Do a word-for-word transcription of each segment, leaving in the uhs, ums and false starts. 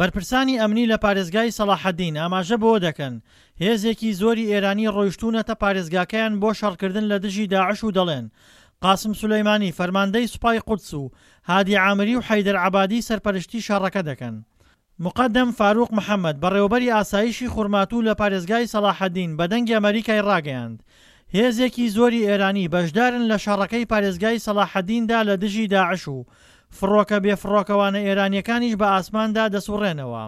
بەرپرسانی ئەمنی لە پارێزگای سەڵاحەدین ئاماژە بەوە دەکەن، هێزێکی زۆری ئێرانی ڕۆیشتوونەتە پارێزگاکەیان بۆ شەڕکردن لە دژی داعش و دەڵێن، قاسم سولەیمانی فەرماندەی سوپای قودس و هادی عامری و حەیدەر عەبادی سەرپەرشتی شەڕەکە دەکەن. موقەدەم فاروق محەمەد، بەڕێوەبەری ئاسایشی خورماتوو لە پارێزگای سەڵاحەدین بە دەنگی ئەمەریکای ڕاگەیاند، هێزێکی زۆری ئێرانی بەشدارن لە شەڕەکەی پارێزگای سەڵاحەدیندا لە دژی داعش و فڕۆکە بێفڕۆکەوانە ئێرانییەکانیش بە ئاسماندا دەسوڕێنەوە.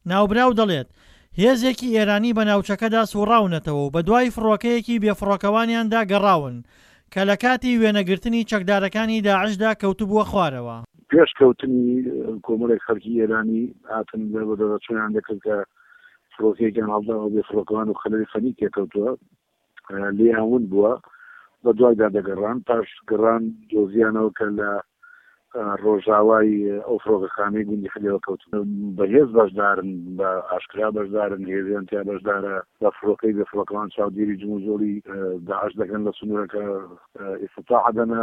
ناوبراو دەڵێت، هێزێکی ئێرانی بە ناوچەکەدا سوڕاونەتەوە و بەدوای فڕۆکەیەکی بێفڕۆکەوانیاندا گەڕاون کە لە کاتی وێنەگرتنی چەکدارەکانی داعشدا کەوتبووە خوارەوە. پێش کەوتنی کۆمەڵێک خەڵکی ئێرانی هاتن بەدواداچوونیان دەکرد کە فڕۆکەیەکیان هەڵداوە بێ فڕۆکەوان و خەلەلی فەنی تێکەوتووە، لێیان ون بووە، بەدوایدا دەگەڕان، پاش گەڕان دۆزیانەوە کە لە ڕۆژاوای ئەو فڕۆکەخانەی گوندی حلێوە کەوتوون. بە هێز بەشدارن، بە ئاشکرا بەشدارن، هێزیان تیا بەشدارە، بە فڕۆکەی بێ فڕۆکەوان چاودێری جموجۆڵی داعش دەکەن لە سنوورەکە، ئیفتتاح دەنە،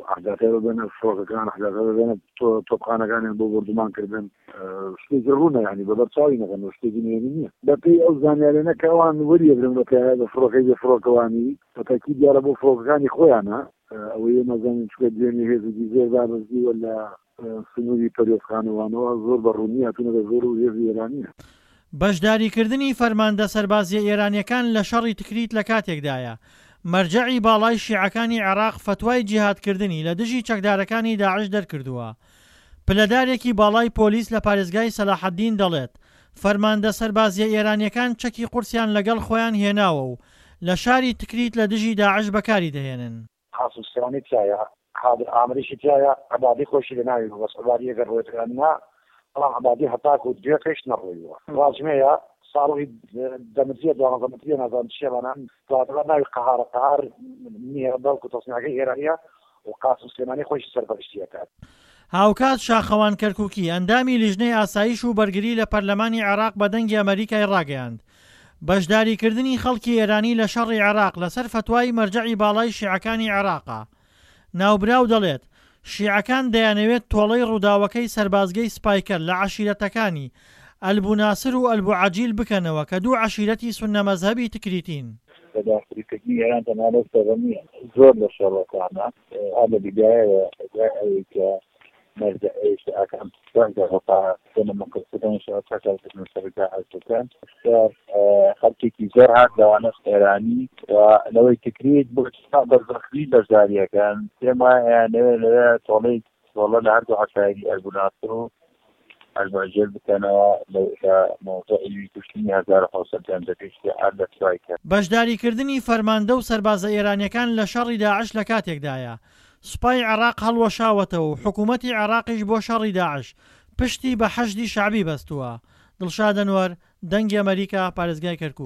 ئەحداثە دەدەنە فڕۆکەکان، ئەحداثە دەدەنە تۆپخانەکانیان بۆ بۆردومانکردن. شتێکی ڕوونە، یانی بە بەرچاوی نەکەن، شتێکی نهێنی نییە. بەپێی ئەو زانیاریانە کە ئەوان وەریەگرن بە فڕۆکەی بێ فڕۆکەوانی، بە تەئکید دیارە بۆ فڕۆکەکانی خۆیانە. ئەوەی ئێمە زانین چونکە دوێنێ هێزێکی زۆر دابەزیوە لە سنووری پەروێزخانەوانەوە، زۆر بە ڕوونی هاتوونەتە زۆر و هێزی ئێرانییە. بەشداریکردنی فەرماندە سەربازییە ئێرانییەکان لە شەڕی تکریت لە کاتێکدایە، مەرجەعی باڵای شیعەکانی عێراق فەتوای جیهادکردنی لە دژی چەکدارەکانی داعش دەرکردووە. پلەدارێکی باڵای پۆلیس لە پارێزگای سەلاحەدین دەڵێت، فەرماندە سەربازییە ئێرانییەکان چەکی قورسیان لەگەڵ خۆیان هێناوە و لە شاری تکریت لە دژی داعش بەکاری دەهێنن. قاسم سلێمانی تیایە، قادر ئامریشی تیایە، عەبادی خۆیشی لە ناوی بوو، بەس عەبادی ئەگەر ڕۆیت یان نا، بەڵام عەبادی هەتاکوو دوێکەیش نەڕۆیوە. ڕاجمێیە، ساڵی دە متریە، دوانزە متریە، نازانم چییە بەنام، دواتر ناوی قەهارە، قەهار نییە، بەڵکوو تەسنیعەکەی ئێرانییە و قاسم سلێمانی خۆیشی سەرپەرشتی ئەکات. هاوکات شاخەوان کەرکوکی، ئەندامی لیژنەی ئاسایش و بەرگری لە پەرلەمانی عێراق بە دەنگی ئەمەریکای ڕاگەیاند، بەشداریکردنی خەڵکی ئێرانی لە شەڕی عێراق لەسەر فەتوای مەرجەعی باڵای شیعەکانی عێراقە. ناوبراو دەڵێت، شیعەکان دەیانەوێت تۆڵەی ڕووداوەکەی سەربازگەی سپایکەر لە عەشیرەتەکانی ئەلبو ناسر و ئەلبو عەجیل بکەنەوە کە دوو عەشیرەتی سوننە مەزهەبی تکریتین. بەداخریکردنی ئێران تەنها لەو شەڕە نییە، زۆر لە شەڕەکانە هەر لە بیدایەوە دوای ئەوەی کە مەرجەعی شیعەکان خەڵکێکی زۆر هات لەوانەش ئێرانی و لەوەی تکریت بۆ بە زەخمی بەشداریەکەن پێم وایە ئەیانەوێت لەوێ تۆڵەی تۆڵە لە هەردوو عەشایری ئەلبوناسر و ئەلبوعجێل بکەنەوە لە مەوزوعی کوشتنی هەزار و حەوت سەد گەنجەکەی شیعە لە سوایکەر. بەشداریکردنی فەرماندە و سەربازە ئێرانیەکان لە شەڕی داعش لە کاتێکدایە سوپای عێراق هەڵوەشاوەتەوە و حکوومەتی عێراقیش بۆ شەڕی داعش پشتی بە حەشدی شەعبی بەستووە. دڵشاد ئەنوەر، دەنگی ئەمەریکا، پارێزگای کەرکوک.